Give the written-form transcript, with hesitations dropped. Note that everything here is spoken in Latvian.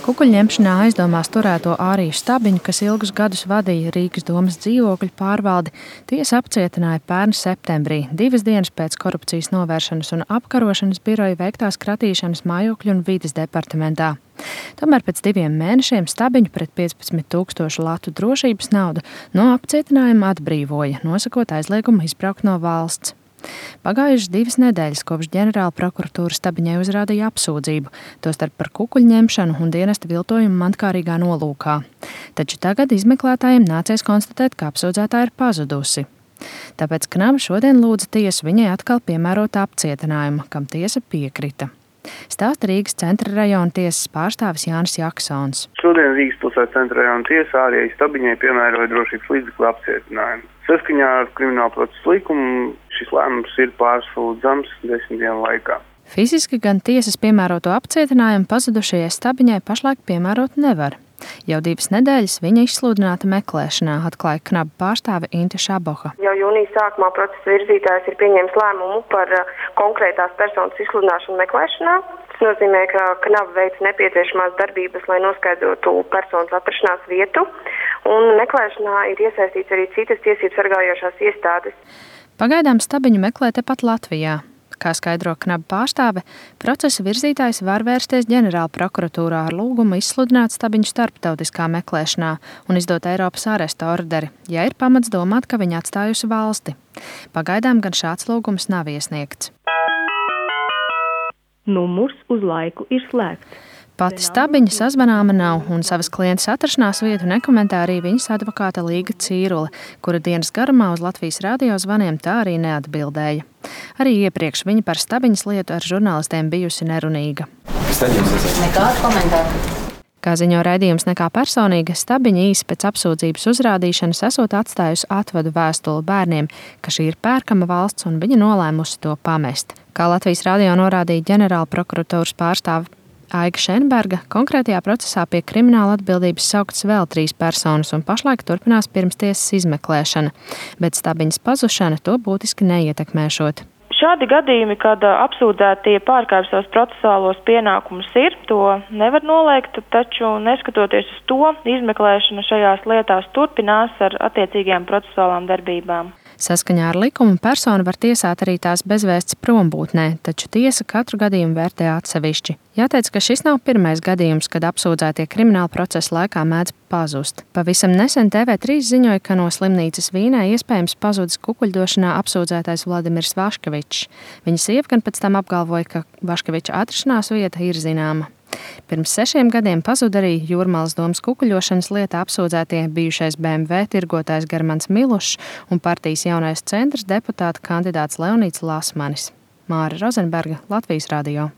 Kukuļņemšanā aizdomās turēto Āriju Stabiņu, kas ilgus gadus vadīja Rīgas domas dzīvokļu pārvaldi, tiesa apcietināja pērn septembrī, 2 dienas pēc korupcijas novēršanas un apkarošanas biroja veiktās kratīšanas mājokļu un vides departamentā. Tomēr pēc 2 mēnešiem Stabiņu pret 15 000 latu drošības naudu no apcietinājuma atbrīvoja, nosakot aizliegumu izbraukt no valsts. Pagājušas 2 nedēļas kopš ģenerāla prokuratūra Stabiņai uzrādīja apsūdzību, tostarp par kukuļņemšanu un dienesta viltojumu mantkārīgā nolūkā. Taču tagad izmeklētājiem nācies konstatēt, ka apsūdzētā ir pazudusi. Tāpēc Knaba šodien lūdza tiesu viņai atkal piemērot apcietinājumu, kam tiesa piekrita. Stāsta Rīgas centra rajona tiesas pārstāvis Jānis Jaksons. Šodien Rīgas pilsētas centra rajona tiesa Ārijai Stabiņai piemēroja drošības līdzekļu apcietinājumu. Saskaņā ar krimināla procesa likumu šis lēmums ir pārsūdzams 10 dienu laikā. Fiziski gan tiesas piemēroto apcietinājumu pazudušajai Stabiņai pašlaik piemērot nevar. Jau 2 nedēļas viņa izsludināta meklēšanā, atklāja Knaba pārstāve Inte Šaboha. Jau jūnija sākumā procesa virzītājs ir pieņēmis lēmumu par konkrētās personas izsludināšanu meklēšanā. Tas nozīmē, ka Knaba veic nepieciešamās darbības, lai noskaidrotu personas atrašanās vietu, un meklēšanā ir iesaistīts arī citas tiesības sargājošās iestādes. Pagaidām Stabiņu meklē tepat Latvijā. Kā skaidro Knaba pārstāve, procesa virzītājs var vērsties ģenerāla prokuratūrā ar lūgumu izsludināt Stabiņu starptautiskā meklēšanā un izdot Eiropas āresta orderi, ja ir pamats domāt, ka viņa atstājusi valsti. Pagaidām gan šāds lūgums nav iesniegts. Numurs uz laiku ir slēgts. Pati Stabiņa sazvanāma nav, un savas klientes atrašanās vietu nekomentē arī viņas advokāte Līga Cīrule, kura dienas garumā uz Latvijas radio zvaniem tā arī neatbildēja. Arī iepriekš viņa par Stabiņas lietu ar žurnālistiem bijusi nerunīga. Nekādu komentāru. Kā ziņo raidījums Nekā personīga, Stabiņa īsi pēc apsūdzības uzrādīšanas esot atstājusi atvadu vēstuli bērniem, ka šī ir pērkama valsts un viņa nolēmusi to pamest. Kā Latvijas radio norādīja ģenerāla prokuratūras pārstāve Aiga Šenberga, konkrētajā procesā pie krimināla atbildības sauktas vēl 3 personas un pašlaik turpinās pirmstiesas izmeklēšana, bet Stabiņas pazušana to būtiski neietekmēšot. Šādi gadījumi, kad apsūdzētie pārkāpj savus procesuālos pienākumus to nevar noliegt, taču neskatoties uz to, izmeklēšana šajās lietās turpinās ar attiecīgajām procesuālām darbībām. Saskaņā ar likumu persona var tiesāt arī tās bezvēsts prombūtnē, taču tiesa katru gadījumu vērtē atsevišķi. Jāteic, ka šis nav pirmais gadījums, kad apsūdzētie krimināla procesa laikā mēdz pazust. Pavisam nesen TV3 ziņoja, ka no slimnīcas Vīnē iespējams pazudis kukuļdošanā apsūdzētais Vladimirs Vaškevičs. Viņa sieva gan pēc tam apgalvoja, ka Vaškeviča atrašanās vieta ir zināma. Pirms 6 gadiem pazuda arī Jūrmalas domas kukuļošanas lietā apsūdzētie bijušais BMW tirgotājs Germans Milušs un partijas Jaunais centrs deputāta kandidāts Leonīds Lasmanis. Māra Rozenberga, Latvijas radio.